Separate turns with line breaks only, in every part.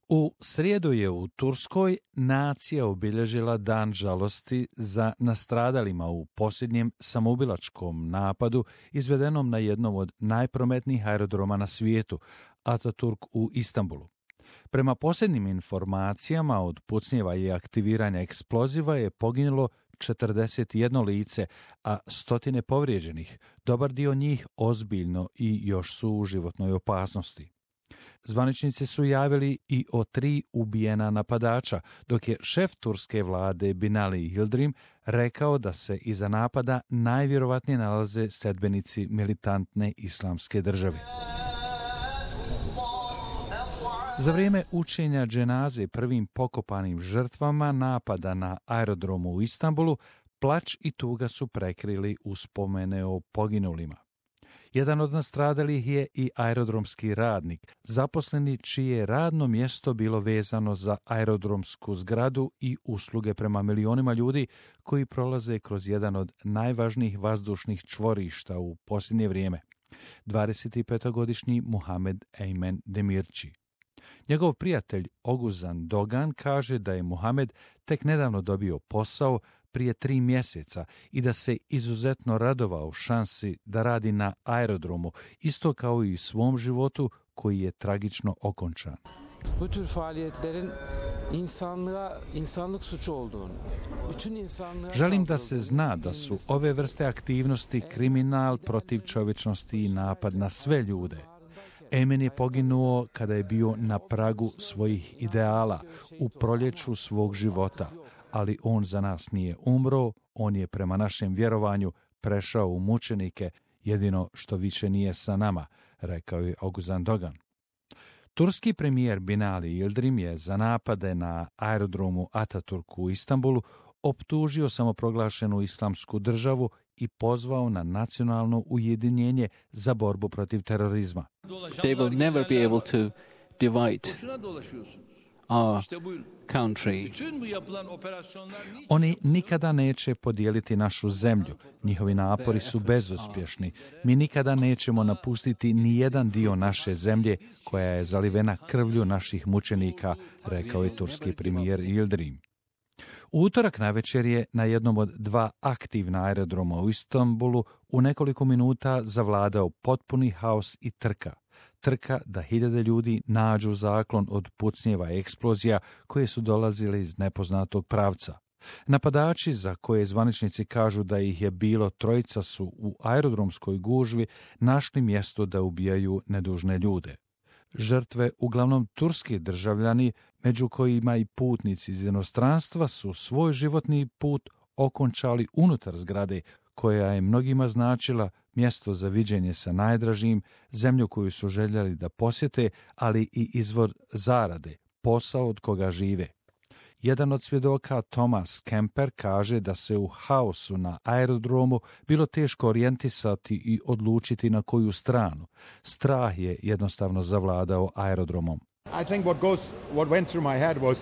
U srijedu je u Turskoj nacija obilježila dan žalosti za nastradalima u posljednjem samoubilačkom napadu izvedenom na jednom od najprometnijih aerodroma na svijetu, Ataturk u Istanbulu. Prema posljednjim informacijama od pucnjeva i aktiviranja eksploziva je poginulo 41 lice, a stotine povrijeđenih, dobar dio njih ozbiljno i još su u životnoj opasnosti. Zvaničnici su javili i o 3 ubijena napadača, dok je šef turske vlade Binali Yildirim rekao da se iza napada najvjerovatnije nalaze sledbenici militantne islamske države. Za vrijeme učenja dženaze prvim pokopanim žrtvama napada na aerodromu u Istanbulu, plač i tuga su prekrili uspomene o poginulima. Jedan od nastradalih je i aerodromski radnik, zaposleni čije je radno mjesto bilo vezano za aerodromsku zgradu i usluge prema milionima ljudi koji prolaze kroz jedan od najvažnijih vazdušnih čvorišta u posljednje vrijeme, 25-godišnji Muhammed Eymen Demirci. Njegov prijatelj Oguzan Dogan kaže da je Muhammed tek nedavno dobio posao prije 3 mjeseca i da se izuzetno radovao šansi da radi na aerodromu, isto kao i svom životu koji je tragično okončan.
Bu tür faaliyetlerin insanlık suçu olduğunu.
Želim da se zna da su ove vrste aktivnosti kriminal protiv čovječnosti i napad na sve ljude. Eymen je poginuo kada je bio na pragu svojih ideala, u proljeću svog života, ali on za nas nije umro, on je prema našem vjerovanju prešao u mučenike, jedino što više nije sa nama, rekao je Oguzan Dogan. Turski premijer Binali Yildirim je za napade na aerodromu Ataturk u Istanbulu optužio samoproglašenu islamsku državu i pozvao na nacionalno ujedinjenje za borbu protiv terorizma.
They will never be able to divide our country.
Oni nikada neće podijeliti našu zemlju. Njihovi napori su bezuspješni. Mi nikada nećemo napustiti ni jedan dio naše zemlje koja je zalivena krvlju naših mučenika, rekao je turski premijer Yildirim. U utorak navečer je na jednom od 2 aktivna aerodroma u Istanbulu u nekoliko minuta zavladao potpuni haos i trka. Trka da hiljade ljudi nađu zaklon od pucnjeva i eksplozija koje su dolazile iz nepoznatog pravca. Napadači, za koje zvaničnici kažu da ih je bilo 3, su u aerodromskoj gužvi našli mjesto da ubijaju nedužne ljude. Žrtve, uglavnom turski državljani, među kojima i putnici iz inostranstva, su svoj životni put okončali unutar zgrade, koja je mnogima značila mjesto za viđenje sa najdražim, zemlju koju su željeli da posjete, ali i izvor zarade, posao od koga žive. Jedan od svjedoka, Thomas Kemper, kaže da se u haosu na aerodromu bilo teško orijentisati i odlučiti na koju stranu. Strah je jednostavno zavladao aerodromom.
I think what went through my head was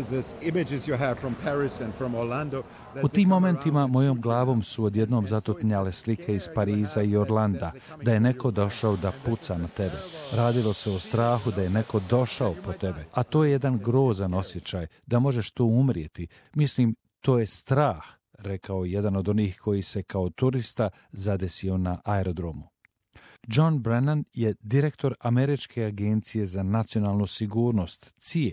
this images you have from Paris and from Orlando.
U tim momentima mojom glavom su odjednom zatutnjale slike iz Pariza i Orlanda, da je neko došao da puca na tebe. Radilo se o strahu da je neko došao po tebe, a to je jedan grozan osjećaj, da možeš tu umrijeti. Mislim, to je strah, rekao jedan od onih koji se kao turista zadesio na aerodromu. John Brennan je direktor Američke agencije za nacionalnu sigurnost, CIA.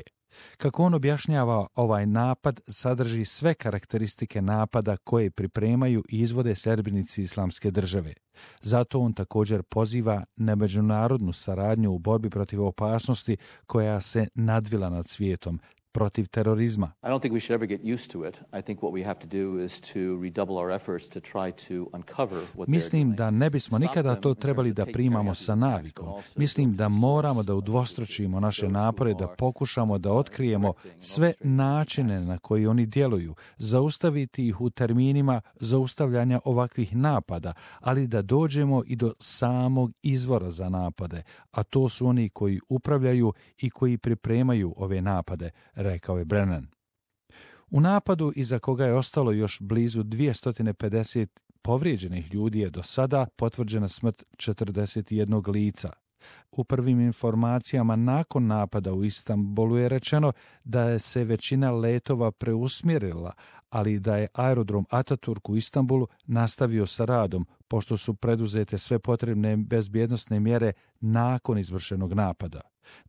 Kako on objašnjava, ovaj napad sadrži sve karakteristike napada koje pripremaju i izvode sljedbenici islamske države. Zato on također poziva na međunarodnu saradnju u borbi protiv opasnosti koja se nadvila nad svijetom, protiv terorizma.
I don't think we should ever get used to it. I think what we have to do is to redouble our efforts to try to uncover what
Mislim da ne bismo nikada to trebali da primamo sa navikom. Mislim da moramo da udvostručimo naše napore, da pokušamo da otkrijemo sve načine na koji oni djeluju, zaustaviti ih u terminima zaustavljanja ovakvih napada, ali da dođemo i do samog izvora za napade, a to su oni koji upravljaju i koji pripremaju ove napade, rekao je Brennan. U napadu, iza koga je ostalo još blizu 250 povrijeđenih ljudi, je do sada potvrđena smrt 41 lica. U prvim informacijama nakon napada u Istanbulu je rečeno da je se većina letova preusmjerila, ali da je aerodrom Ataturk u Istanbulu nastavio sa radom, pošto su preduzete sve potrebne bezbjednosne mjere nakon izvršenog napada.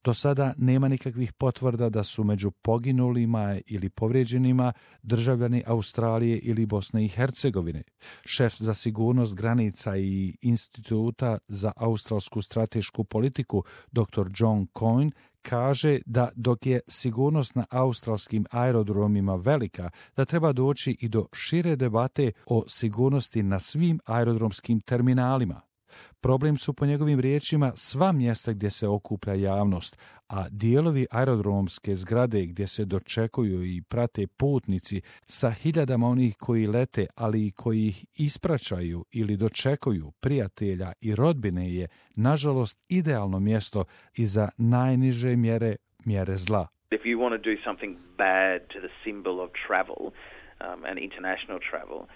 Do sada nema nikakvih potvrda da su među poginulima ili povrijeđenima državljani Australije ili Bosne i Hercegovine. Šef za sigurnost granica i Instituta za australsku stratešku politiku dr. John Coyne kaže da dok je sigurnost na australskim aerodromima velika, da treba doći i do šire debate o sigurnosti na svim aerodromskim terminalima. Problem su po njegovim riječima sva mjesta gdje se okuplja javnost, a dijelovi aerodromske zgrade gdje se dočekuju i prate putnici sa hiljadama onih koji lete, ali i koji ih ispraćaju ili dočekuju prijatelja i rodbine je, nažalost, idealno mjesto i za najniže mjere zla.
If you want to do something bad to the symbol of travel and international travel,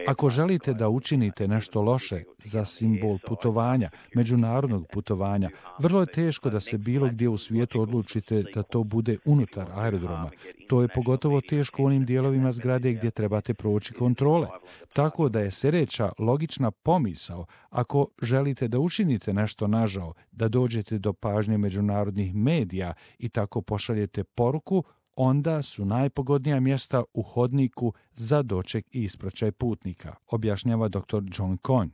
ako želite da učinite nešto loše za simbol putovanja, međunarodnog putovanja, vrlo je teško da se bilo gdje u svijetu odlučite da to bude unutar aerodroma. To je pogotovo teško u onim dijelovima zgrade gdje trebate proći kontrole. Tako da je sljedeća logična pomisao, ako želite da učinite nešto nažao, da dođete do pažnje međunarodnih medija i tako pošaljete poruku, onda su najpogodnija mjesta u hodniku za doček i ispraćaj putnika, objašnjava dr. John Coyne.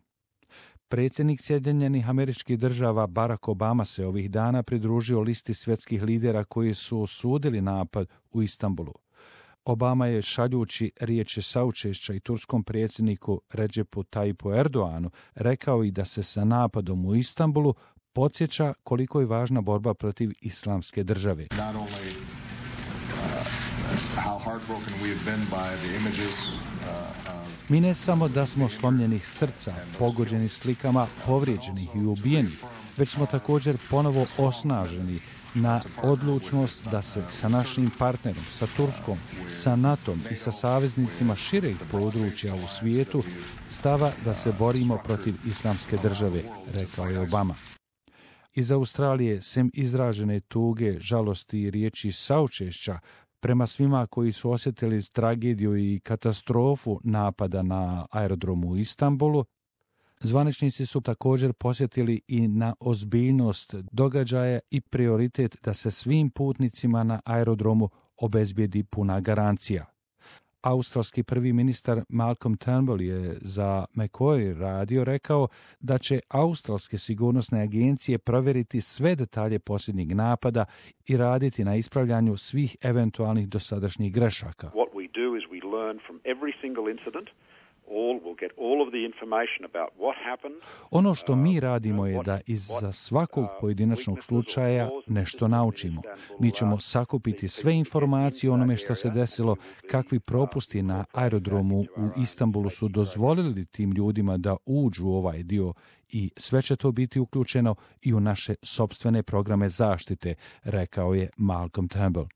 Predsjednik Sjedinjenih Američkih Država Barack Obama se ovih dana pridružio listi svjetskih lidera koji su osudili napad u Istanbulu. Obama je, šaljući riječi saučešća i turskom predsjedniku Recepu Tayyipu Erdoğanu, rekao i da se sa napadom u Istanbulu podsjeća koliko je važna borba protiv islamske države. Mi ne samo da smo slomljenih srca, pogođeni slikama povrijeđenih i ubijenih, već smo također ponovo osnaženi na odlučnost da se sa našim partnerom, sa Turskom, sa NATO-om i sa saveznicima šireg područja u svijetu stava da se borimo protiv islamske države, rekao je Obama. Iz Australije, sem izražene tuge, žalosti i riječi saučešća, prema svima koji su osjetili tragediju i katastrofu napada na aerodromu u Istanbulu, zvaničnici su također posjetili i na ozbiljnost događaja i prioritet da se svim putnicima na aerodromu obezbijedi puna garancija. Australski prvi ministar Malcolm Turnbull je za Macquarie radio rekao da će australske sigurnosne agencije provjeriti sve detalje posljednjeg napada i raditi na ispravljanju svih eventualnih dosadašnjih grešaka.
What we do is we learn from every single incident.
Ono što mi radimo je da iza svakog pojedinačnog slučaja nešto naučimo. Mi ćemo sakupiti sve informacije o onome što se desilo, kakvi propusti na aerodromu u Istanbulu su dozvolili tim ljudima da uđu u ovaj dio i sve će to biti uključeno i u naše sopstvene programe zaštite, rekao je Malcolm Turnbull.